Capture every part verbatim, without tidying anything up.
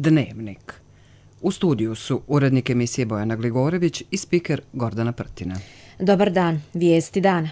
Dnevnik. U studiju su urednik emisije Bojana Gligorević i spiker Gordana Prtina. Dobar dan, vijesti dana.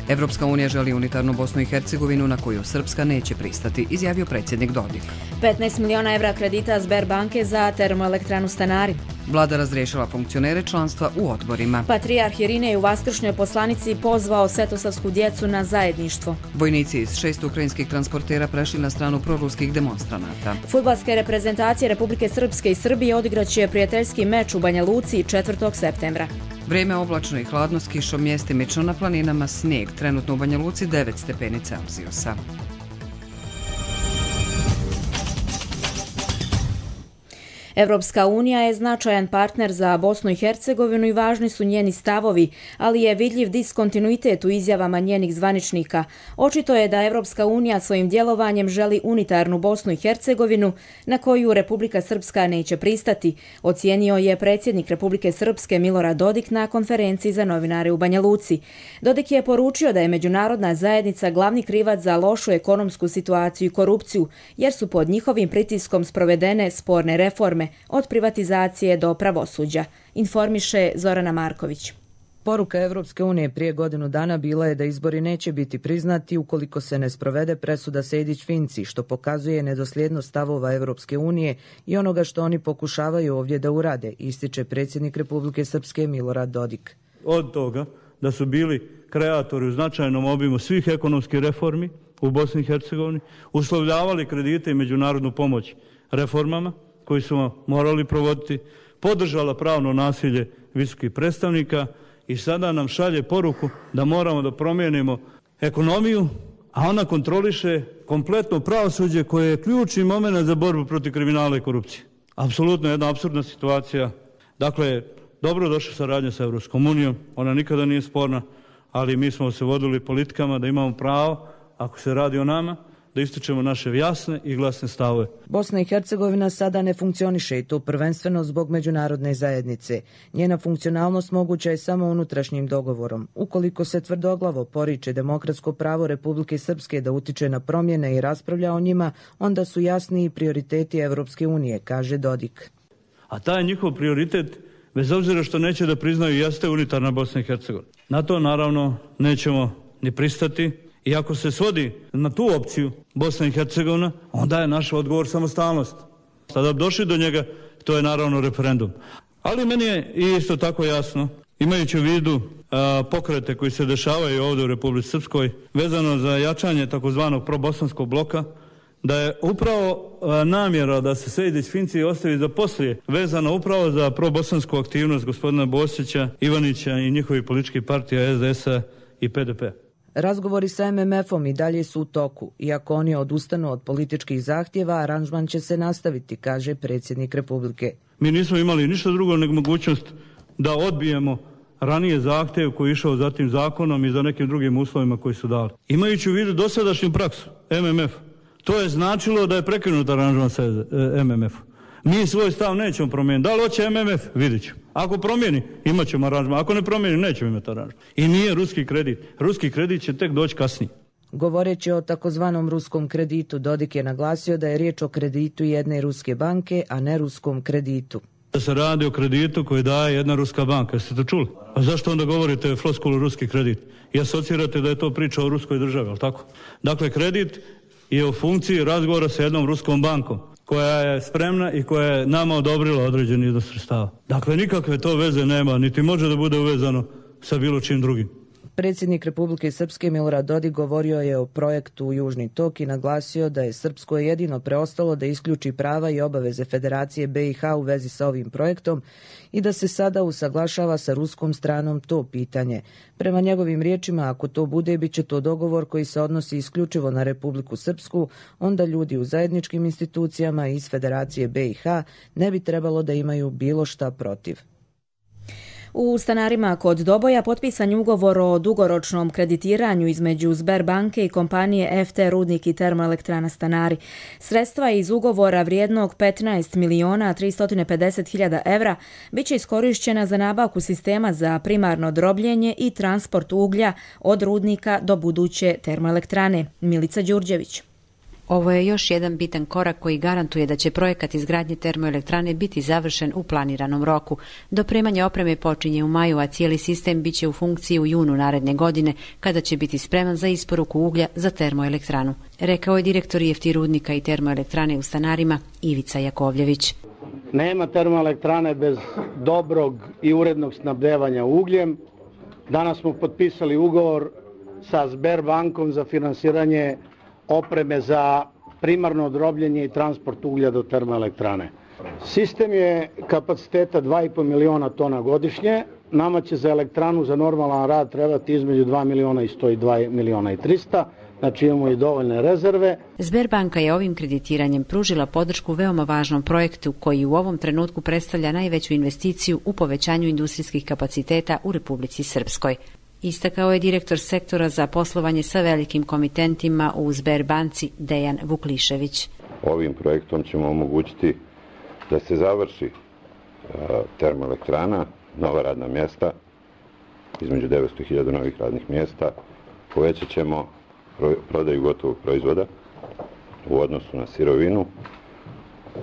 Evropska unija želi unitarnu Bosnu i Hercegovinu na koju Srpska neće pristati, izjavio predsjednik Dodik. petnaest miliona evra kredita Sberbanke za termoelektranu Stanari. Vlada razriješila funkcionere članstva u odborima. Patrijarh Irinej u Vaskršnjoj poslanici pozvao svetosavsku djecu na zajedništvo. Vojnici iz šest ukrajinskih transportera prešli na stranu proruskih demonstranata. Fudbalske reprezentacije Republike Srpske i Srbije odigraće prijateljski meč u Banja Luci četvrtog septembra. Vrijeme oblačno i hladno s kišom, mjestimično na planinama snijeg. Trenutno u Banja Luci devet stepeni Celzijusa. Evropska unija je značajan partner za Bosnu i Hercegovinu i važni su njeni stavovi, ali je vidljiv diskontinuitet u izjavama njenih zvaničnika. Očito je da Evropska unija svojim djelovanjem želi unitarnu Bosnu i Hercegovinu na koju Republika Srpska neće pristati, ocijenio je predsjednik Republike Srpske Milorad Dodik na konferenciji za novinare u Banja Luci. Dodik je poručio da je međunarodna zajednica glavni krivac za lošu ekonomsku situaciju i korupciju, jer su pod njihovim pritiskom sprovedene sporne reforme od privatizacije do pravosuđa, informiše Zorana Marković. Poruka Evropske unije prije godinu dana bila je da izbori neće biti priznati ukoliko se ne sprovede presuda Sejdić-Finci, što pokazuje nedosljednost stavova Evropske unije i onoga što oni pokušavaju ovdje da urade, ističe predsjednik Republike Srpske Milorad Dodik. Od toga da su bili kreatori u značajnom obimu svih ekonomskih reformi u Bosni i Hercegovini, uslovljavali kredite i međunarodnu pomoć reformama koji su morali provoditi, podržala pravno nasilje visokih predstavnika i sada nam šalje poruku da moramo da promijenimo ekonomiju, a ona kontroliše kompletno pravosuđe koje je ključni moment za borbu protiv kriminala i korupcije. Apsolutno jedna apsurdna situacija. Dakle, dobro došla saradnja sa Evropskom unijom, ona nikada nije sporna, ali mi smo se vodili politikama da imamo pravo, ako se radi o nama, da ističemo naše jasne i glasne stavove. Bosna i Hercegovina sada ne funkcioniše i to prvenstveno zbog međunarodne zajednice. Njena funkcionalnost moguća je samo unutrašnjim dogovorom. Ukoliko se tvrdoglavo poriče demokratsko pravo Republike Srpske da utiče na promjene i raspravlja o njima, onda su jasni i prioriteti Evropske unije, kaže Dodik. A taj njihov prioritet, bez obzira što neće da priznaju, jeste unitarna Bosna i Hercegovina. Na to naravno nećemo ni pristati. I ako se svodi na tu opciju Bosna i Hercegovina, onda je naš odgovor samostalnost. Sada bi došli do njega, to je naravno referendum. Ali meni je isto tako jasno, imajući u vidu a, pokrete koji se dešavaju ovdje u Republici Srpskoj, vezano za jačanje takozvanog probosanskog bloka, da je upravo a, namjera da se Sejdić-Finci ostavi za poslije, vezano upravo za probosansku aktivnost gospodina Bosića, Ivanića i njihovih političkih partija S D S-a i P D P. Razgovori sa M M F-om i dalje su u toku. Iako oni odustanu od političkih zahtjeva, aranžman će se nastaviti, kaže predsjednik Republike. Mi nismo imali ništa drugo nego mogućnost da odbijemo ranije zahtjev koji je išao za tim zakonom i za nekim drugim uslovima koji su dali. Imajući u vidu dosadašnju praksu M M F, to je značilo da je prekinut aranžman sa M M F-om. Mi svoj stav nećemo promijeniti. Da li hoće M M F? Vidjet ćemo. Ako promijeni, imat ćemo aranžman. Ako ne promijeni, nećemo imati aranžman. I nije ruski kredit. Ruski kredit će tek doći kasnije. Govoreći o takozvanom ruskom kreditu, Dodik je naglasio da je riječ o kreditu jedne ruske banke, a ne ruskom kreditu. Da se radi o kreditu koji daje jedna ruska banka. Jeste to čuli? A zašto onda govorite floskulu ruski kredit? I asocirate da je to priča o ruskoj državi, ali tako? Dakle, kredit je u funkciji razgovora sa jednom ruskom bankom koja je spremna i koja je nama odobrila određeni iznos sredstava. Dakle, nikakve to veze nema, niti može da bude uvezano sa bilo čim drugim. Predsjednik Republike Srpske Milorad Dodik govorio je o projektu Južni tok i naglasio da je Srpsko jedino preostalo da isključi prava i obaveze Federacije B i H u vezi sa ovim projektom i da se sada usaglašava sa ruskom stranom to pitanje. Prema njegovim riječima, ako to bude, bit će to dogovor koji se odnosi isključivo na Republiku Srpsku, onda ljudi u zajedničkim institucijama iz Federacije B i H ne bi trebalo da imaju bilo šta protiv. U stanarima kod Doboja potpisan je ugovor o dugoročnom kreditiranju između Sberbanke i kompanije F T Rudnik i termoelektrana Stanari. Sredstva iz ugovora vrijednog petnaest miliona tristo pedeset hiljada evra bit će iskorišćena za nabavku sistema za primarno drobljenje i transport uglja od rudnika do buduće termoelektrane. Milica Đurđević. Ovo je još jedan bitan korak koji garantuje da će projekat izgradnje termoelektrane biti završen u planiranom roku. Dopremanje opreme počinje u maju, a cijeli sistem biće u funkciji u junu naredne godine, kada će biti spreman za isporuku uglja za termoelektranu, rekao je direktor F T Rudnika i termoelektrane u Stanarima Ivica Jakovljević. Nema termoelektrane bez dobrog i urednog snabdevanja ugljem. Danas smo potpisali ugovor sa Sberbankom za finansiranje opreme za primarno drobljenje i transport uglja do termoelektrane. Sistem je kapaciteta dva i po miliona tona godišnje. Nama će za elektranu za normalan rad trebati između dva miliona i sto i dva miliona i trista. Znači imamo i dovoljne rezerve. Sberbanka je ovim kreditiranjem pružila podršku veoma važnom projektu koji u ovom trenutku predstavlja najveću investiciju u povećanju industrijskih kapaciteta u Republici Srpskoj. Istakao je direktor sektora za poslovanje sa velikim komitentima u Sberbanci Dejan Vuklišević. Ovim projektom ćemo omogućiti da se završi termoelektrana, nova radna mjesta, između devetsto hiljada novih radnih mjesta, povećat ćemo prodaju gotovog proizvoda u odnosu na sirovinu,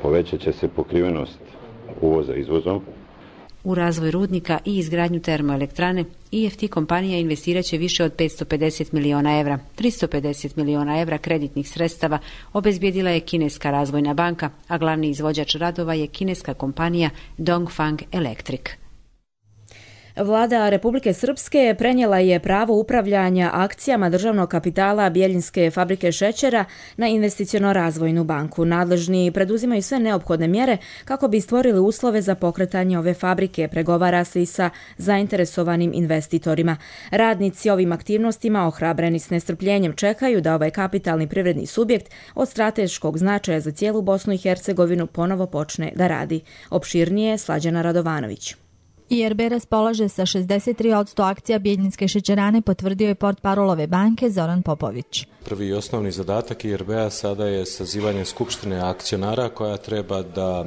povećat će se pokrivenost uvoza izvozom. U razvoj rudnika i izgradnju termoelektrane I F T kompanija investirat će više od petsto pedeset miliona evra. tristo pedeset miliona evra kreditnih sredstava obezbijedila je kineska razvojna banka, a glavni izvođač radova je kineska kompanija Dongfang Electric. Vlada Republike Srpske prenijela je pravo upravljanja akcijama državnog kapitala Bjeljinske fabrike šećera na investiciono-razvojnu banku. Nadležni preduzimaju sve neophodne mjere kako bi stvorili uslove za pokretanje ove fabrike, pregovara se i sa zainteresovanim investitorima. Radnici ovim aktivnostima, ohrabreni s nestrpljenjem, čekaju da ovaj kapitalni privredni subjekt od strateškog značaja za cijelu Bosnu i Hercegovinu ponovo počne da radi. Opširnije Slađana Radovanović. I R B raspolaže sa šezdeset tri posto akcija Bjeljinske šećerane, potvrdio je portparol ove banke Zoran Popović. Prvi i osnovni zadatak I R B-a sada je sazivanje skupštine akcionara koja treba da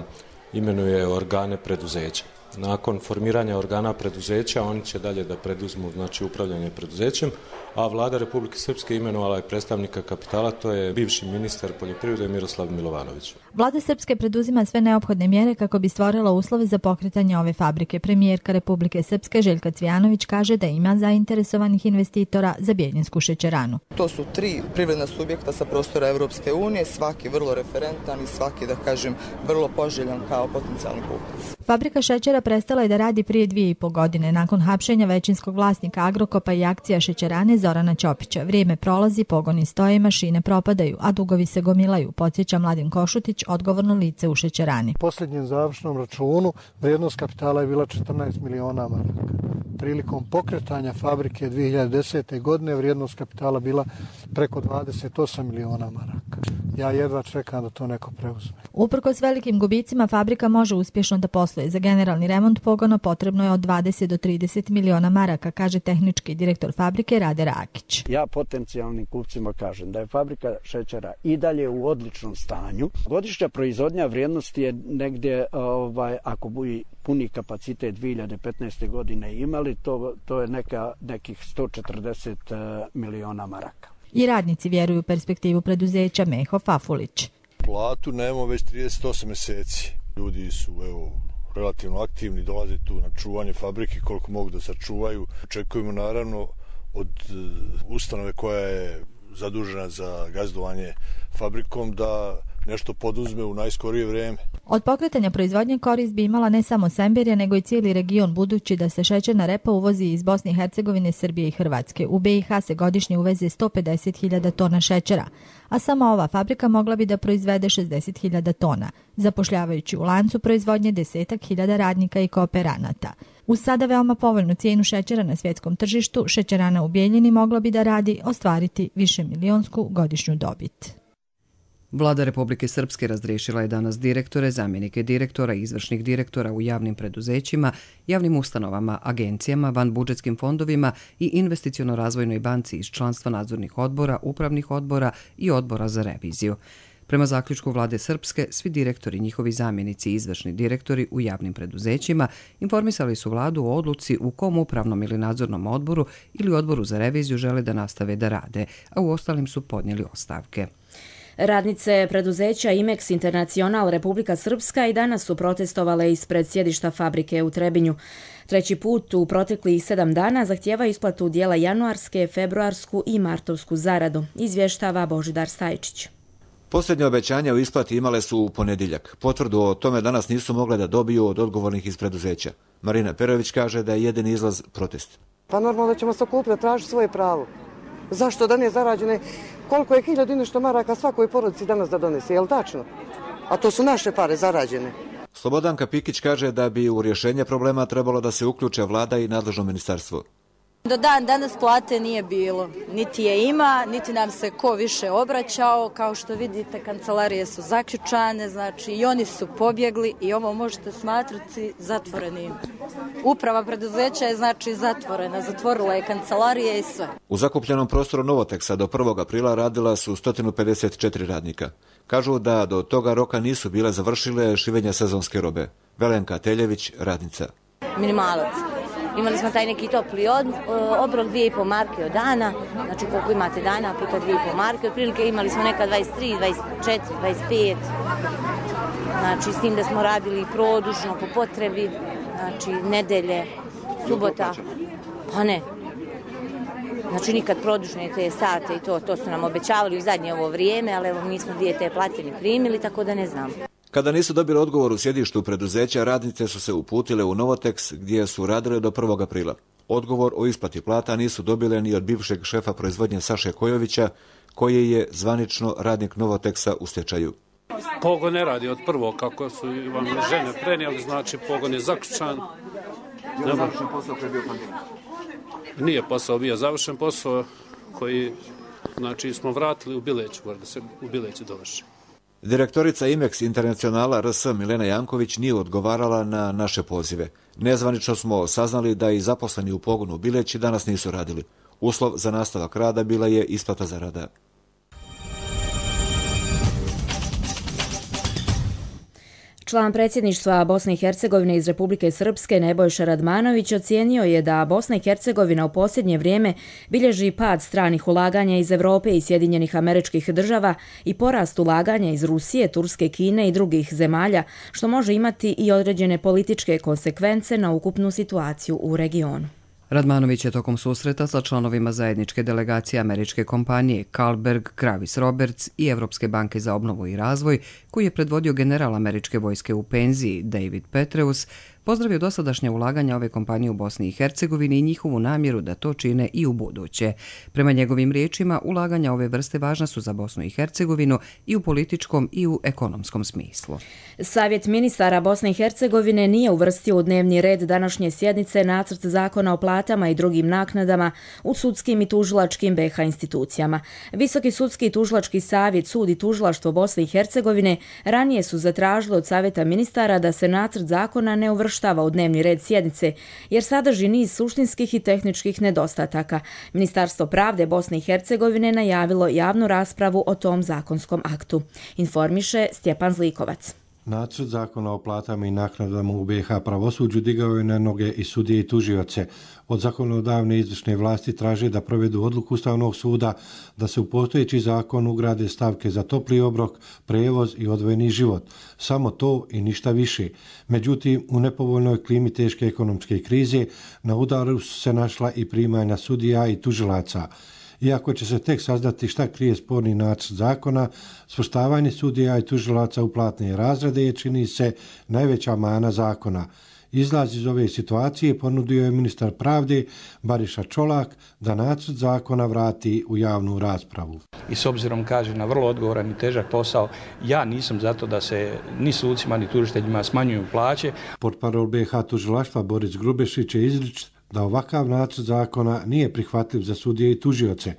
imenuje organe preduzeća. Nakon formiranja organa preduzeća oni će dalje da preduzmu znači upravljanje preduzećem, a Vlada Republike Srpske imenovala je predstavnika kapitala, to je bivši ministar poljoprivrede Miroslav Milovanović. Vlada Srpske preduzima sve neophodne mjere kako bi stvorila uslove za pokretanje ove fabrike. Premijerka Republike Srpske Željka Cvijanović kaže da ima zainteresovanih investitora za Bjeljinsku šećeranu. To su tri privredna subjekta sa prostora Evropske unije, svaki vrlo referentan i svaki, da kažem, vrlo poželjan kao potencijalni kupac. Fabrika šećera prestala je da radi prije dvije i po godine nakon hapšenja većinskog vlasnika Agrokopa i akcija šećerane Zorana Ćopića. Vrijeme prolazi, pogoni stoje, mašine propadaju, a dugovi se gomilaju, podsjeća Mladen Košutić, odgovorno lice u šećerani. U posljednjem završnom računu vrijednost kapitala je bila četrnaest miliona maraka. Prilikom pokretanja fabrike dvije hiljade desete. godine vrijednost kapitala bila preko dvadeset osam miliona maraka. Ja jedva čekam da to neko preuzme. Uprkos velikim gubicima, fabrika može uspješno da posluje. Za generalni remont pogona potrebno je od dvadeset do trideset miliona maraka, kaže tehnički direktor fabrike Rade Rakić. Ja potencijalnim kupcima kažem da je fabrika šećera i dalje u odličnom stanju. Godišnja proizvodnja vrijednosti je negdje, ovaj, ako bi puni kapacitet dvije hiljade petnaeste. godine imali, to, to je neka, nekih sto četrdeset miliona maraka. I radnici vjeruju u perspektivu preduzeća Meho Fafulić. Platu nemamo već trideset osam mjeseci. Ljudi su evo, relativno aktivni, dolaze tu na čuvanje fabrike koliko mogu da sačuvaju. Očekujemo naravno od ustanove koja je zadužena za gazdovanje fabrikom da nešto poduzme u najskorije vrijeme. Od pokretanja proizvodnje korist bi imala ne samo Semberija, nego i cijeli region, budući da se šećerna repa uvozi iz Bosne i Hercegovine, Srbije i Hrvatske. U B i H se godišnje uveze sto pedeset hiljada tona šećera, a samo ova fabrika mogla bi da proizvede šezdeset hiljada tona, zapošljavajući u lancu proizvodnje desetak hiljada radnika i kooperanata. Uz sada veoma povoljnu cijenu šećera na svjetskom tržištu, šećerana u Bjeljini mogla bi da radi ostvariti više milionsku godišnju dobit. Vlada Republike Srpske razriješila je danas direktore, zamjenike direktora i izvršnih direktora u javnim preduzećima, javnim ustanovama, agencijama, vanbudžetskim fondovima i investiciono-razvojnoj banci iz članstva nadzornih odbora, upravnih odbora i odbora za reviziju. Prema zaključku Vlade Srpske, svi direktori, njihovi zamjenici i izvršni direktori u javnim preduzećima informisali su vladu o odluci u kom upravnom ili nadzornom odboru ili odboru za reviziju žele da nastave da rade, a u ostalim su podnijeli ostavke. Radnice preduzeća Imex Internacional Republika Srpska i danas su protestovale ispred sjedišta fabrike u Trebinju. Treći put u proteklih sedam dana zahtijeva isplatu dijela januarske, februarsku i martovsku zaradu, izvještava Božidar Stajčić. Posljednje obećanja o isplati imale su u ponedjeljak. Potvrdu o tome danas nisu mogle da dobiju od odgovornih iz preduzeća. Marina Perović kaže da je jedini izlaz protest. Pa normalno da ćemo se okupiti, tražiti svoje pravo. Zašto da nije zarađene? Koliko je hiljadu i nešto maraka svakoj porodici danas da donese, je li tačno? A to su naše pare zarađene. Slobodanka Pikić kaže da bi u rješenje problema trebalo da se uključe vlada i nadležno ministarstvo. Do dan danas plate nije bilo, niti je ima, niti nam se ko više obraćao. Kao što vidite, kancelarije su zaključane, znači i oni su pobjegli i ovo možete smatrati zatvorenim. Uprava preduzeća je znači zatvorena, zatvorila je kancelarije i sve. U zakupljenom prostoru Novoteksa do prvog aprila radila su sto pedeset četiri radnika. Kažu da do toga roka nisu bile završile šivenja sezonske robe. Velenka Teljević, radnica. Minimalac. Imali smo taj neki topli od, obrok dvije i po marke od dana, znači koliko imate dana puta dvije i po marke, otprilike imali smo neka dvadeset tri, dvadeset četiri, dvadeset pet, znači s tim da smo radili produžno po potrebi, znači nedelje, subota, pa ne. Znači nikad produžne te sate i to, to su nam obećavali u zadnje ovo vrijeme, ali evo mi smo dvije te plate ni primili, tako da ne znam. Kada nisu dobili odgovor u sjedištu preduzeća, radnice su se uputile u Novoteks gdje su radile do prvog aprila. Odgovor o isplati plata nisu dobile ni od bivšeg šefa proizvodnje Saše Kojovića, koji je zvanično radnik Novoteksa u stečaju. Pogon ne radi od prvog, kako su vam žene prenijeli, znači pogon je zaključan. Je završen posao koji je bio pandemija? Nije posao bio završen, posao koji znači, smo vratili u Bileću, da se u Bileću dovrši. Direktorica Imex Internacionala R S Milena Janković nije odgovarala na naše pozive. Nezvanično smo saznali da i zaposleni u pogonu u Bileći danas nisu radili. Uslov za nastavak rada bila je isplata zarada. Član predsjedništva Bosne i Hercegovine iz Republike Srpske Nebojša Radmanović ocijenio je da Bosna i Hercegovina u posljednje vrijeme bilježi pad stranih ulaganja iz Europe i Sjedinjenih Američkih Država i porast ulaganja iz Rusije, Turske, Kine i drugih zemalja, što može imati i određene političke konsekvence na ukupnu situaciju u regionu. Radmanović je tokom susreta sa članovima zajedničke delegacije američke kompanije Carlsberg, Kravis Roberts i Evropske banke za obnovu i razvoj, koji je predvodio general američke vojske u penziji David Petraeus, pozdravio dosadašnje ulaganja ove kompanije u Bosni i Hercegovini i njihovu namjeru da to čine i u buduće. Prema njegovim riječima, ulaganja ove vrste važna su za Bosnu i Hercegovinu i u političkom i u ekonomskom smislu. Savjet ministara Bosne i Hercegovine nije uvrstio u dnevni red današnje sjednice nacrt zakona o platama i drugim naknadama u sudskim i tužilačkim B iH institucijama. Visoki sudski i tužilački savjet, sud i tužilaštvo Bosne i Hercegovine ranije su zatražili od Savjeta ministara da se nacrt zakona ne uvrštava u dnevni red sjednice, jer sadrži niz suštinskih i tehničkih nedostataka. Ministarstvo pravde Bosne i Hercegovine najavilo javnu raspravu o tom zakonskom aktu. Informiše Stjepan Zlikovac. Nacrt zakona o platama i naknadama u B iH pravosuđu digao je na noge i sudije i tužioce. Od zakonodavne izvršne vlasti traže da provedu odluku Ustavnog suda da se u postojeći zakon ugrade stavke za topli obrok, prevoz i odvojeni život. Samo to i ništa više. Međutim, u nepovoljnoj klimi teške ekonomske krize na udaru su se našla i primanja sudija i tužilaca. Iako će se tek saznati šta krije sporni nacrt zakona, svrstavanje sudija i tužilaca u platne razrede je, čini se, najveća mana zakona. Izlaz iz ove situacije ponudio je ministar pravde Bariša Čolak da nacrt zakona vrati u javnu raspravu. I s obzirom, kaže, na vrlo odgovoran i težak posao, ja nisam zato da se ni sucima ni tužiteljima smanjuju plaće. Portparol B iH tužilaštva Boris Grubešić je izričit da ovakav nacrt zakona nije prihvatljiv za sudije i tužioce.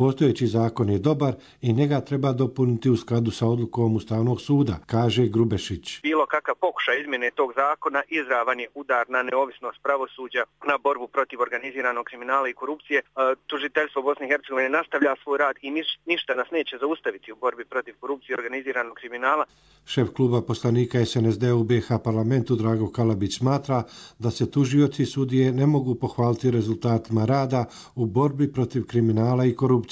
Postojeći zakon je dobar i njega treba dopuniti u skladu sa odlukom Ustavnog suda, kaže Grubešić. Bilo kakav pokušaj izmjene tog zakona izravan je udar na neovisnost pravosuđa, na borbu protiv organiziranog kriminala i korupcije. Tužiteljstvo Bosne i Hercegovine nastavlja svoj rad i ništa nas neće zaustaviti u borbi protiv korupcije i organiziranog kriminala. Šef kluba poslanika S N S D u B iH parlamentu Drago Kalabić smatra da se tužioci i sudije ne mogu pohvaliti rezultatima rada u borbi protiv kriminala i korupcije.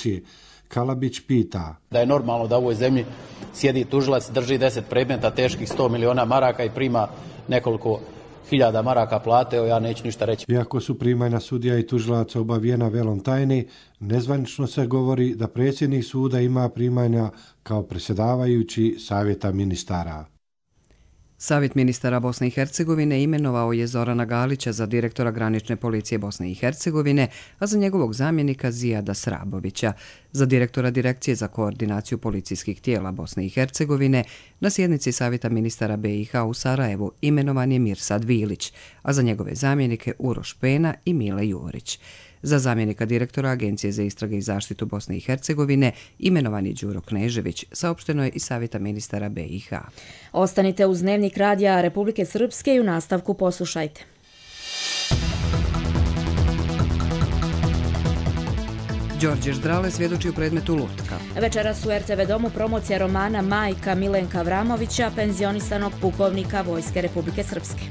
Kalabić pita. Da je normalno da u ovoj zemlji sjedi tužilac, drži deset predmeta teških sto miliona maraka i prima nekoliko hiljada maraka plate, evo ja neću ništa reći. Iako su primanja sudija i tužilaca obavijena velom tajne, nezvanično se govori da predsjednik suda ima primanja kao predsjedavajući savjeta ministara. Savjet ministara Bosne i Hercegovine imenovao je Zorana Galića za direktora granične policije Bosne i Hercegovine, a za njegovog zamjenika Zijada Srabovića. Za direktora Direkcije za koordinaciju policijskih tijela Bosne i Hercegovine na sjednici Savjeta ministara B iH u Sarajevu imenovan je Mirsad Vilić, a za njegove zamjenike Uroš Pena i Mile Jurić. Za zamjenika direktora Agencije za istrage i zaštitu Bosne i Hercegovine imenovan je Đuro Knežević, saopšteno je iz Savjeta ministara B iH. Ostanite uz Dnevnik radija Republike Srpske i u nastavku poslušajte. Đorđe Ždrale svjedoči u predmetu Lutka. Večeras u R T V domu promocija romana Majka Milenka Vramovića, penzionisanog pukovnika Vojske Republike Srpske.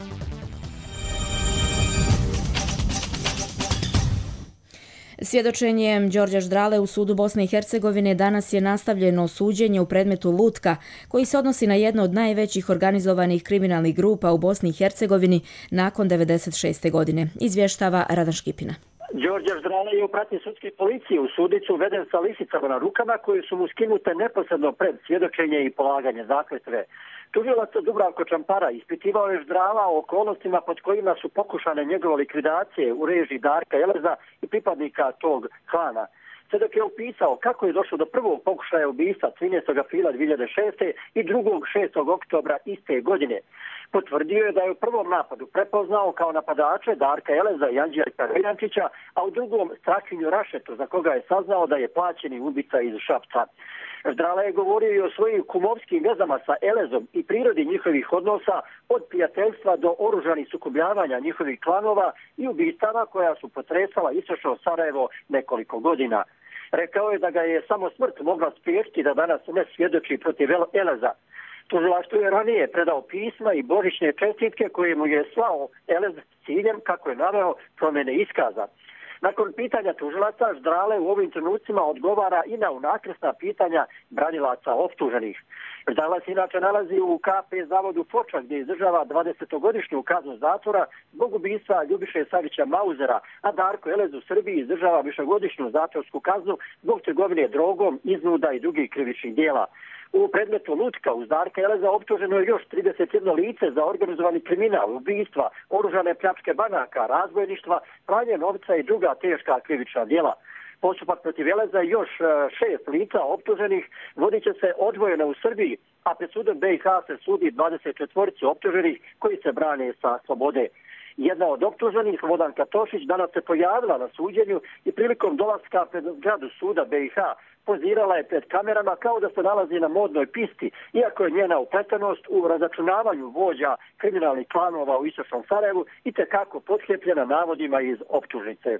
Svjedočenjem Đorđa Ždrale u sudu Bosne i Hercegovine danas je nastavljeno suđenje u predmetu Lutka, koji se odnosi na jednu od najvećih organizovanih kriminalnih grupa u Bosni i Hercegovini nakon devedeset šeste godine, izvještava Radan Škipina. Đorđe Ždrale je u pratnji sudske policije u sudicu uveden sa lisicama na rukama koje su mu skinute neposredno pred svjedočenje i polaganje zakletve. Tužilac Dubravko Čampara ispitivao je Ždrala o okolnostima pod kojima su pokušane njegove likvidacije u režiji Darka Eleza i pripadnika tog klana. Svjedok je opisao kako je došlo do prvog pokušaja ubistva trinaestog aprila dvije hiljade šeste. i drugog šestog oktobra iste godine. Potvrdio je da je u prvom napadu prepoznao kao napadače Darka Eleza i Anđelka Rejnančića, a u drugom Strahinju Rašetu, za koga je saznao da je plaćeni ubica iz Šapca. Ždrale je govorio i o svojim kumovskim vezama sa Elezom i prirodi njihovih odnosa, od prijateljstva do oružanih sukobljavanja njihovih klanova i ubistava koja su potresala istočno Sarajevo nekoliko godina. Rekao je da ga je samo smrt mogla spriječiti da danas ne svjedoči protiv Eleza. Tužilaštvo je ranije predao pisma i božićne čestitke koje mu je slao Elez s ciljem, kako je naveo, promjene iskaza. Nakon pitanja tužilaca, Ždrale u ovim trenucima odgovara i na unakrsna pitanja branilaca optuženih. Ždrale se inače nalazi u K P zavodu Foča, gdje izdržava dvadesetogodišnju kaznu zatvora zbog ubistva Ljubiše Savića Mauzera, a Darko Elez u Srbiji izdržava višegodišnju zatvorsku kaznu zbog trgovine drogom, iznuda i drugih krivičnih dijela. U predmetu Lutka uz Darka Eleza optuženo je još trideset jedno lice za organizovani kriminal, ubistva, oružane pljačke banaka, razbojništva, pranje novca i druga teška krivična djela. Postupak protiv Eleza i još šest lica optuženih vodit će se odvojeno u Srbiji, a pred sudom B iH se sudi dvadeset četiri optuženih koji se brane sa slobode. Jedna od optuženih, Vodanka Tošić, danas se pojavila na suđenju i prilikom dolaska pred zgradu suda B iH pozirala je pred kamerama kao da se nalazi na modnoj pisti, iako je njena upletenost u razračunavanju vođa kriminalnih klanova u istočnom Sarajevu i tekako potkrijepljena navodima iz optužnice.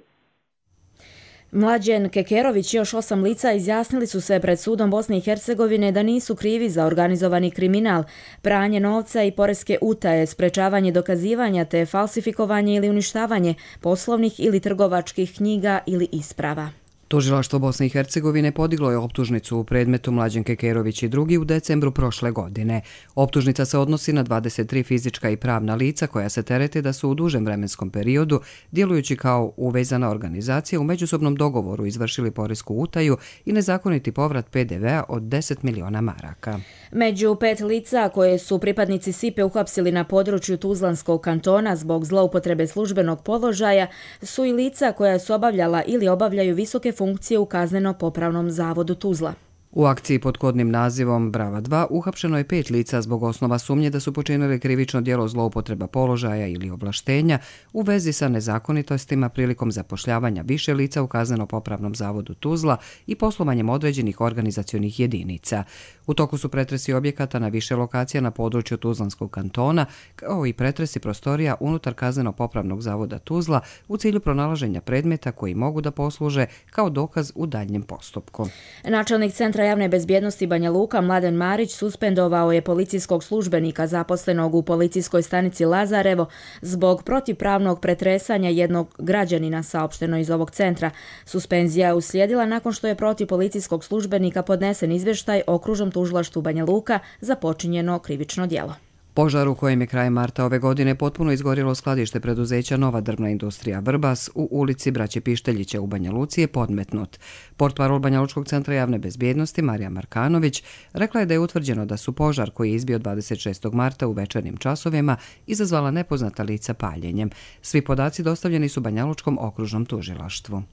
Mlađen Kekerović i još osam lica izjasnili su se pred sudom Bosne i Hercegovine da nisu krivi za organizovani kriminal, pranje novca i poreske utaje, sprečavanje dokazivanja te falsifikovanje ili uništavanje poslovnih ili trgovačkih knjiga ili isprava. Tužilaštvo Bosne i Hercegovine podiglo je optužnicu u predmetu Mlađen Kekerović i drugi u decembru prošle godine. Optužnica se odnosi na dvadeset tri fizička i pravna lica koja se terete da su u dužem vremenskom periodu, djelujući kao uvezana organizacija, u međusobnom dogovoru izvršili poresku utaju i nezakoniti povrat P D V-a od deset miliona maraka. Među pet lica koje su pripadnici S I P-e uhapsili na području Tuzlanskog kantona zbog zloupotrebe službenog položaja su i lica koja su obavljala ili obavljaju visoke funkcije u kazneno-popravnom zavodu Tuzla. U akciji pod kodnim nazivom Brava dva uhapšeno je pet lica zbog osnova sumnje da su počinili krivično djelo zloupotreba položaja ili ovlaštenja u vezi sa nezakonitostima prilikom zapošljavanja više lica u Kazneno-popravnom zavodu Tuzla i poslovanjem određenih organizacionih jedinica. U toku su pretresi objekata na više lokacija na području Tuzlanskog kantona, kao i pretresi prostorija unutar Kazneno-popravnog zavoda Tuzla u cilju pronalaženja predmeta koji mogu da posluže kao dokaz u daljnjem postupku. Načelnik Centra javne bezbjednosti Banja Luka Mladen Marić suspendovao je policijskog službenika zaposlenog u policijskoj stanici Lazarevo zbog protivpravnog pretresanja jednog građanina, saopšteno iz ovog centra. Suspenzija je uslijedila nakon što je protiv policijskog službenika podnesen izvještaj okružnom tužilaštvu Banja Luka za počinjeno krivično djelo. Požar u kojem je krajem marta ove godine potpuno izgorjelo skladište preduzeća Nova drvna industrija Vrbas u ulici Braće Pišteljića u Banja Luci je podmetnut. Portparol Banja Lučkog centra javne bezbjednosti Marija Markanović rekla je da je utvrđeno da su požar koji je izbio dvadeset šestog marta u večernjim časovima izazvala nepoznata lica paljenjem. Svi podaci dostavljeni su Banja Lučkom okružnom tužilaštvu.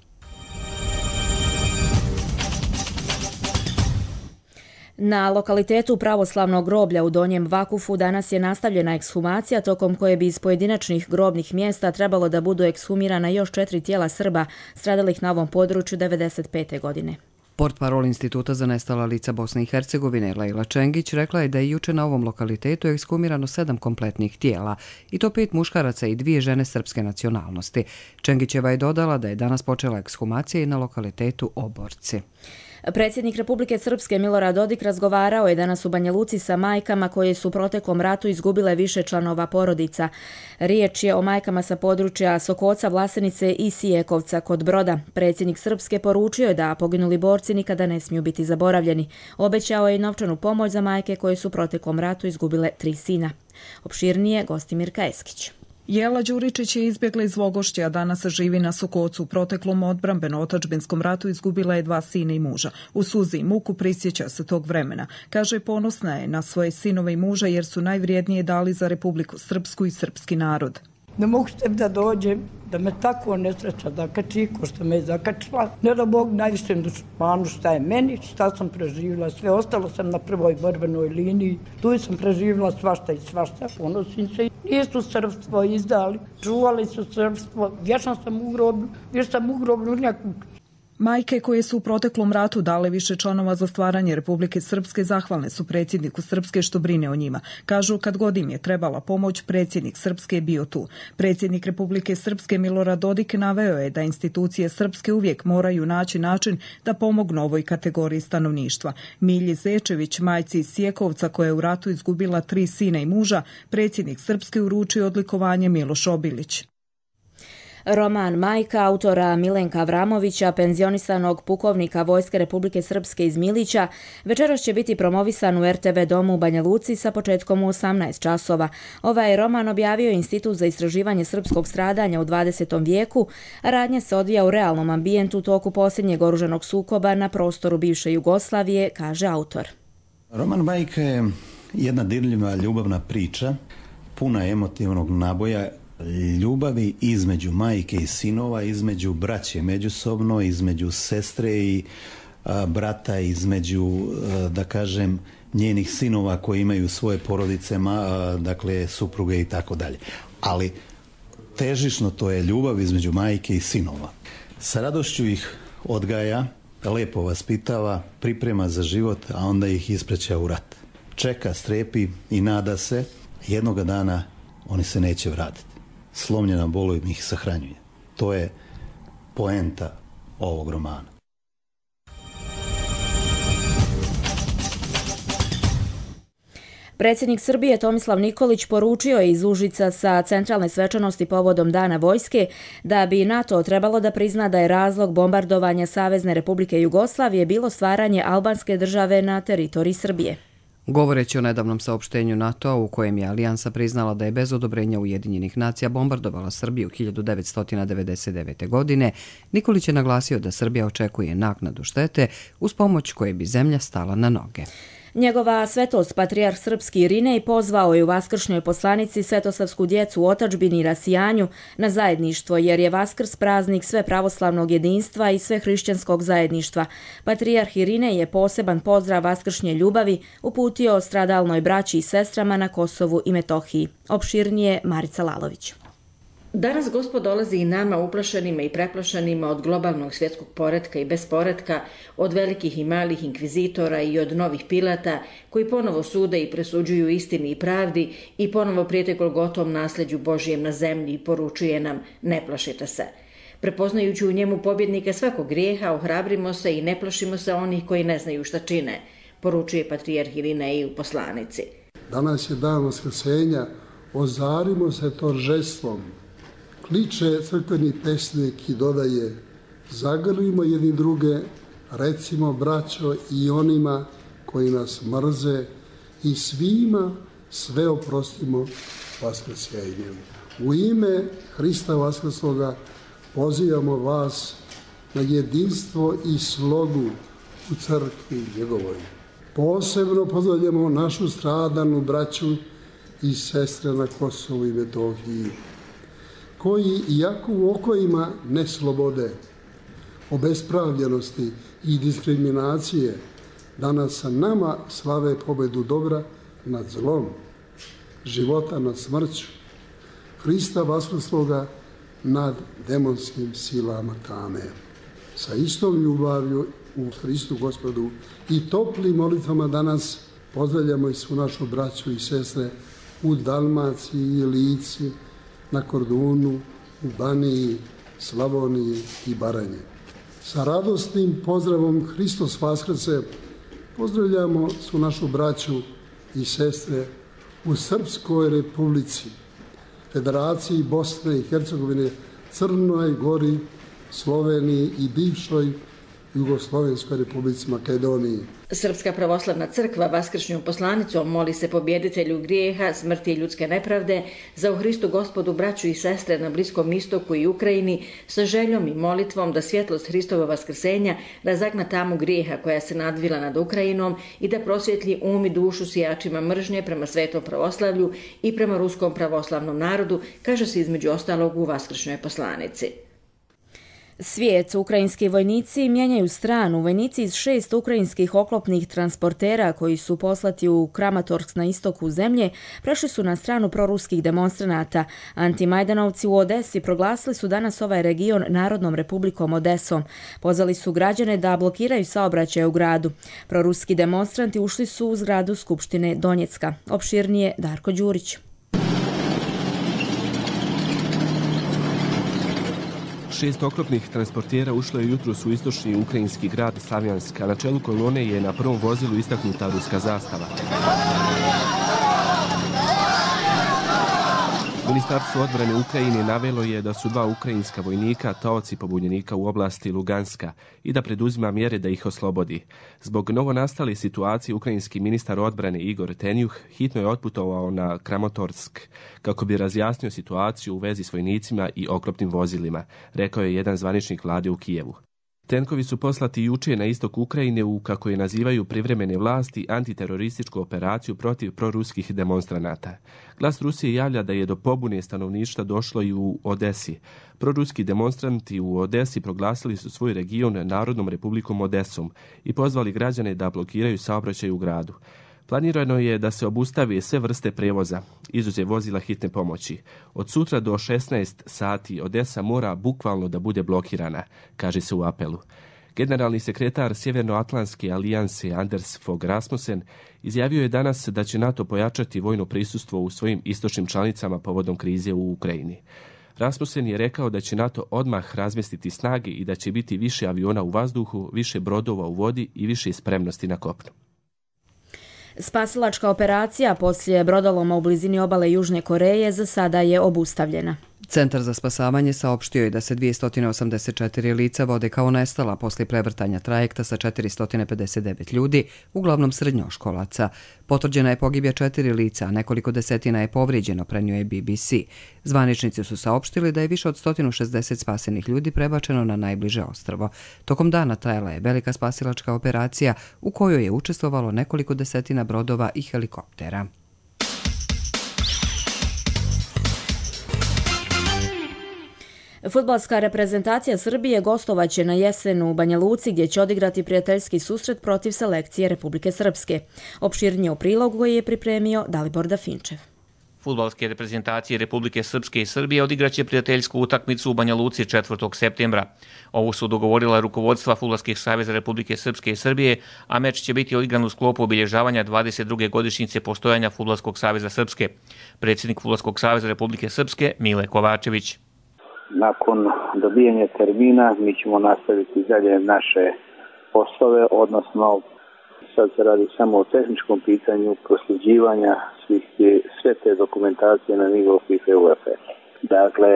Na lokalitetu pravoslavnog groblja u Donjem Vakufu danas je nastavljena ekshumacija tokom koje bi iz pojedinačnih grobnih mjesta trebalo da budu ekshumirana još četiri tijela Srba stradalih na ovom području devedeset pete godine. Portparol Instituta za nestala lica Bosne i Hercegovine Lejla Čengić rekla je da je juče na ovom lokalitetu ekshumirano sedam kompletnih tijela, i to pet muškaraca i dvije žene srpske nacionalnosti. Čengićeva je dodala da je danas počela ekshumacija i na lokalitetu Oborci. Predsjednik Republike Srpske Milorad Dodik razgovarao je danas u Banja Luci sa majkama koje su u proteklom ratu izgubile više članova porodica. Riječ je o majkama sa područja Sokoca, Vlasenice i Sijekovca kod Broda. Predsjednik Srpske poručio je da poginuli borci nikada ne smiju biti zaboravljeni. Obećao je i novčanu pomoć za majke koje su u proteklom ratu izgubile tri sina. Opširnije Gostimirka Eskić. Jela Đuričić je izbjegla iz Vogošća, a danas živi na Sokocu. U proteklom odbrambeno-otadžbinskom ratu izgubila je dva sina i muža. U suzi i muku prisjeća se tog vremena. Kaže, ponosna je na svoje sinove i muža jer su najvrijednije dali za Republiku Srpsku i srpski narod. Ne mogu se da dođem, da me tako nesreća zakači, ko što me je zakačila. Ne da Bog najvišem dušmanu šta je meni, šta sam preživjela. Sve ostalo sam na prvoj borbenoj liniji. Tu sam preživjela svašta i svašta. Ponosim se. Nisu srpstvo izdali, čuvali su srpstvo. Vješan sam u groblju, vješan sam u groblju nekog. Majke koje su u proteklom ratu dale više članova za stvaranje Republike Srpske zahvalne su predsjedniku Srpske što brine o njima. Kažu, kad god im je trebala pomoć, predsjednik Srpske je bio tu. Predsjednik Republike Srpske Milorad Dodik naveo je da institucije Srpske uvijek moraju naći način da pomognu ovoj kategoriji stanovništva. Milji Zečević, majci iz Sjekovca koja je u ratu izgubila tri sina i muža, predsjednik Srpske uručio odlikovanje Miloš Obilić. Roman Majka, autora Milenka Avramovića, penzionisanog pukovnika Vojske Republike Srpske iz Milića, večeras će biti promovisan u er te ve domu u Banja Luci sa početkom u osamnaest časova. Ovaj roman objavio Institut za istraživanje srpskog stradanja u dvadesetom vijeku, a radnja se odvija u realnom ambijentu u toku posljednjeg oružanog sukoba na prostoru bivše Jugoslavije, kaže autor. Roman Majka je jedna dirljiva ljubavna priča, puna emotivnog naboja, ljubavi između majke i sinova, između braće međusobno, između sestre i a, brata, između, a, da kažem, njenih sinova koji imaju svoje porodice, ma, a, dakle, supruge i tako dalje. Ali težišno to je ljubav između majke i sinova. Sa radošću ih odgaja, lepo vaspitava, priprema za život, a onda ih ispreća u rat. Čeka, strepi i nada se, jednoga dana oni se neće vratiti. Slomljena bolom ih sahranjuje. To je poenta ovog romana. Predsjednik Srbije Tomislav Nikolić poručio je iz Užica sa centralne svečanosti povodom Dana vojske da bi NATO trebalo da prizna da je razlog bombardovanja Savezne Republike Jugoslavije bilo stvaranje albanske države na teritoriji Srbije. Govoreći o nedavnom saopštenju NATO-a u kojem je alijansa priznala da je bez odobrenja Ujedinjenih nacija bombardovala Srbiju hiljadu devetsto devedeset devete. godine, Nikolić je naglasio da Srbija očekuje naknadu štete uz pomoć koje bi zemlja stala na noge. Njegova svetost patrijarh srpski Irinej pozvao je u vaskršnjoj poslanici svetosavsku djecu u otadžbini i rasijanju na zajedništvo, jer je Vaskrs praznik sve pravoslavnog jedinstva i sve hrišćanskog zajedništva. Patrijarh Irinej je poseban pozdrav vaskršnje ljubavi uputio stradalnoj braći i sestrama na Kosovu i Metohiji. Opširnije Marica Lalović. Danas Gospod dolazi i nama uplašenima i preplašenima od globalnog svjetskog poretka i besporetka, od velikih i malih inkvizitora i od novih Pilata koji ponovo sude i presuđuju istini i pravdi i ponovo prijete Golgotom nasljeđu Božijem na zemlji i poručuje nam ne plašite se. Prepoznajući u njemu pobjednika svakog grijeha, ohrabrimo se i ne plašimo se onih koji ne znaju šta čine, poručuje patrijarh Irinej u poslanici. Danas je dan vaskrsenja, ozarimo se торжеством. Kliče crkveni pesnik i dodaje, zagrlimo jedni druge, recimo braćo i onima koji nas mrze i svima sve oprostimo vaskrsenjem. U ime Hrista Vaskrsloga pozivamo vas na jedinstvo i slogu u crkvi njegovoj. Posebno pozdravljamo našu stradanu braću i sestre na Kosovu i Metohiji, koji iako u okojima neslobode, obespravljenosti i diskriminacije danas sa nama slave pobedu dobra nad zlom, života nad smrću, Hrista Vaskrsloga nad demonskim silama tame. Sa istom ljubavlju u Hristu Gospodu i toplim molitvama danas pozdravljamo i svu našu braću i sestre u Dalmaciji i Lici, na Kordunu, u Baniji, Slavoniji i Baranji. Sa radosnim pozdravom Hristos Vaskrse pozdravljamo svu našu braću i sestre u Srpskoj republici, Federaciji Bosne i Hercegovine, Crnoj Gori, Sloveniji i bivšoj Jugoslovenskoj republici Makedoniji. Srpska pravoslavna crkva vaskršnjom poslanicom moli se pobjeditelju grijeha, smrti i ljudske nepravde, za u Hristu Gospodu braću i sestre na Bliskom istoku i Ukrajini, sa željom i molitvom da svjetlost Hristova vaskrsenja razagna tamu grijeha koja se nadvila nad Ukrajinom i da prosvjetlji um i dušu sijačima mržnje prema svetom pravoslavlju i prema ruskom pravoslavnom narodu, kaže se između ostalog u vaskršnjoj poslanici. Svijet, ukrajinski vojnici mijenjaju stranu. Vojnici iz šest ukrajinskih oklopnih transportera koji su poslati u Kramatorsk na istoku zemlje prešli su na stranu proruskih demonstranata. Antimajdanovci u Odesi proglasili su danas ovaj region Narodnom republikom Odesom. Pozvali su građane da blokiraju saobraćaj u gradu. Proruski demonstranti ušli su u zgradu Skupštine Donjecka. Opširnije Darko Đurić. Šest oklopnih transportera ušlo je jutros u istočni ukrajinski grad Slavjansk, a na čelu kolone je na prvom vozilu istaknuta ruska zastava. Ministarstvo odbrane Ukrajine navelo je da su dva ukrajinska vojnika taoci pobunjenika u oblasti Luganska i da preduzima mjere da ih oslobodi. Zbog novonastale situacije ukrajinski ministar odbrane Igor Tenjuh hitno je otputovao na Kramatorsk kako bi razjasnio situaciju u vezi s vojnicima i oklopnim vozilima, rekao je jedan zvaničnik vlade u Kijevu. Tenkovi su poslati juče na istok Ukrajine u, kako je nazivaju, privremene vlasti antiterorističku operaciju protiv proruskih demonstranata. Glas Rusije javlja da je do pobune stanovništva došlo i u Odesi. Proruski demonstranti u Odesi proglasili su svoj region Narodnom republikom Odesom i pozvali građane da blokiraju saobraćaj u gradu. Planirano je da se obustave sve vrste prevoza, izuzev vozila hitne pomoći. Od sutra do šesnaest sati Odesa mora bukvalno da bude blokirana, kaže se u apelu. Generalni sekretar Sjevernoatlantske alijanse Anders Fogh Rasmussen izjavio je danas da će NATO pojačati vojno prisustvo u svojim istočnim članicama povodom krize u Ukrajini. Rasmussen je rekao da će NATO odmah razmjestiti snage i da će biti više aviona u vazduhu, više brodova u vodi i više spremnosti na kopnu. Spasilačka operacija poslije brodoloma u blizini obale Južne Koreje za sada je obustavljena. Centar za spasavanje saopštio je da se dvjesto osamdeset četiri lica vode kao nestala poslije prevrtanja trajekta sa četiristo pedeset devet ljudi, uglavnom srednjoškolaca. Potvrđena je pogibija četiri lica, a nekoliko desetina je povrijeđeno, prenio je B B C. Zvaničnici su saopštili da je više od sto šezdeset spasenih ljudi prebačeno na najbliže ostrvo. Tokom dana trajala je velika spasilačka operacija u kojoj je učestvovalo nekoliko desetina brodova i helikoptera. Fudbalska reprezentacija Srbije gostovaće na jesen u Banja Luci gdje će odigrati prijateljski susret protiv selekcije Republike Srpske. Opširnije u prilogu koji je pripremio Dalibor Dafinčev. Fudbalske reprezentacije Republike Srpske i Srbije odigraće prijateljsku utakmicu u Banja Luci četvrtog septembra. Ovo su dogovorila rukovodstva Fudbalskih saveza Republike Srpske i Srbije, a meč će biti odigran u sklopu obilježavanja dvadeset druge godišnjice postojanja Fudbalskog saveza Srpske. Predsjednik Fudbalskog saveza Republike Srpske Mile Kovačević. Nakon dobijanja termina mi ćemo nastaviti dalje naše poslove, odnosno sad se radi samo o tehničkom pitanju prosljeđivanja svih te, sve te dokumentacije na nivou FIFA i UEFA. Dakle,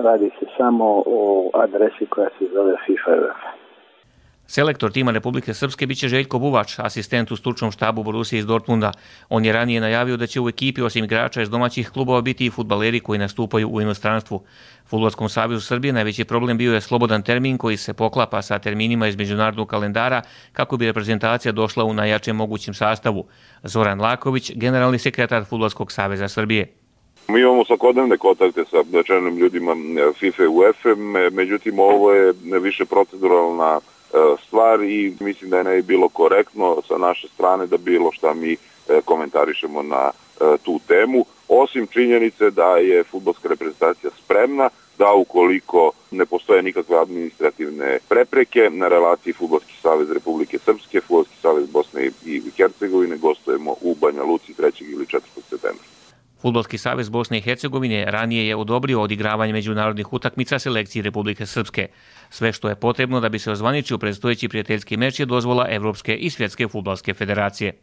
radi se samo o adresi koja se zove FIFA i UEFA. Selektor tima Republike Srpske biće Željko Buvač, asistent u stručnom štabu Borusije iz Dortmunda. On je ranije najavio da će u ekipi osim igrača iz domaćih klubova biti i fudbaleri koji nastupaju u inostranstvu. Fudbalskom savezu Srbije najveći problem bio je slobodan termin koji se poklapa sa terminima iz međunarodnog kalendara kako bi reprezentacija došla u najjačem mogućem sastavu. Zoran Laković, generalni sekretar Fudbalskog saveza Srbije. Mi imamo svakodnevne kontakte sa čelnim ljudima FIFA i UEFA, međutim ovo je više proceduralna stvar i mislim da je ne bilo korektno sa naše strane da bilo šta mi komentarišemo na tu temu, osim činjenice da je fudbalska reprezentacija spremna da ukoliko ne postoje nikakve administrativne prepreke na relaciji Fudbalski savez Republike Srpske, Fudbalski savez Bosne i Hercegovine gostujemo u Banja Luci trećeg ili četvrtog septembra. Fudbalski savez Bosne i Hercegovine ranije je odobrio odigravanje međunarodnih utakmica selekciji Republike Srpske. Sve što je potrebno da bi se ozvaničio predstojeći prijateljski meč je dozvola Evropske i Svjetske fudbalske federacije.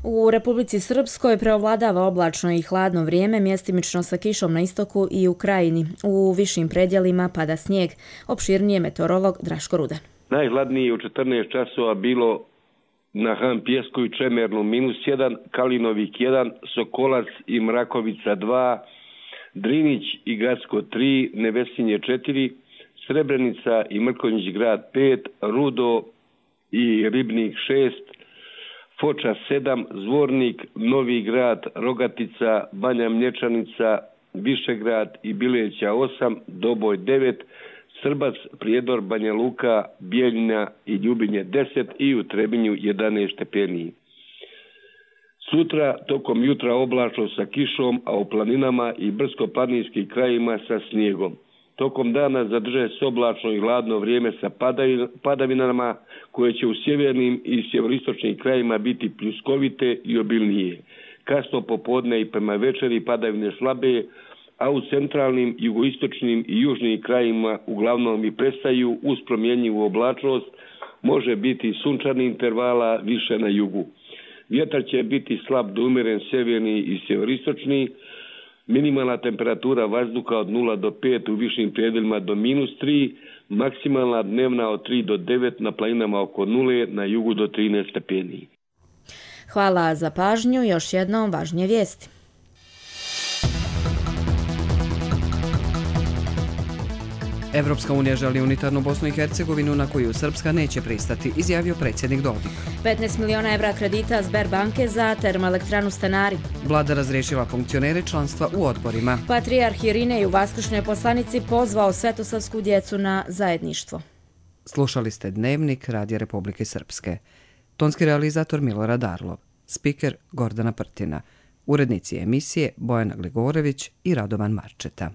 U Republici Srpskoj preovladava oblačno i hladno vrijeme, mjestimično sa kišom na istoku i u krajini. U višim predjelima pada snijeg. Opširnije meteorolog Draško Rudan. Najhladnije u četrnaest časova bilo na Han Pjesku i Čemernu minus jedan, Kalinovik jedan, Sokolac i Mrakovica dva, Drinić i Gacko tri, Nevesinje četiri, Srebrenica i Mrkonjić grad pet, Rudo i Ribnik šest, Foča sedam, Zvornik, Novi grad, Rogatica, Banja Mlječanica, Višegrad i Bileća osam, Doboj devet, Srbac, Prijedor, Banja Luka, Bijeljina i Ljubinje deset i u Trebinju jedanaest stepeni. Sutra tokom jutra oblačno sa kišom, a u planinama i brdsko-planinskim krajima sa snijegom. Tokom dana zadrže se oblačno i hladno vrijeme sa padavinama koje će u sjevernim i sjeveristočnim krajima biti pljuskovite i obilnije. Kasno popodne i prema večeri padavine slabe, a u centralnim, jugoistočnim i južnim krajima uglavnom i prestaju uz promjenjivu oblačnost, može biti sunčani intervala više na jugu. Vjetar će biti slab do umjeren sjeverni i sjeveristočni, minimalna temperatura vazduha od nula do pet u višim predjelima do minus tri, maksimalna dnevna od tri do devet, na planinama oko nule, na jugu do trinaest stepeni. Hvala za pažnju, još jednom važnije vijesti. Evropska unija želi unitarnu Bosnu i Hercegovinu na koju Srpska neće pristati, izjavio predsjednik Dodik. petnaest miliona evra kredita Sberbanke za termoelektranu Stanari. Vlada razriješila funkcionere članstva u odborima. Patrijarh Irinej u vaskršnjoj poslanici pozvao svetosavsku djecu na zajedništvo. Slušali ste Dnevnik Radija Republike Srpske. Tonski realizator Milorad Arlov, spiker Gordana Prtina, urednici emisije Bojana Gligorević i Radovan Marčeta.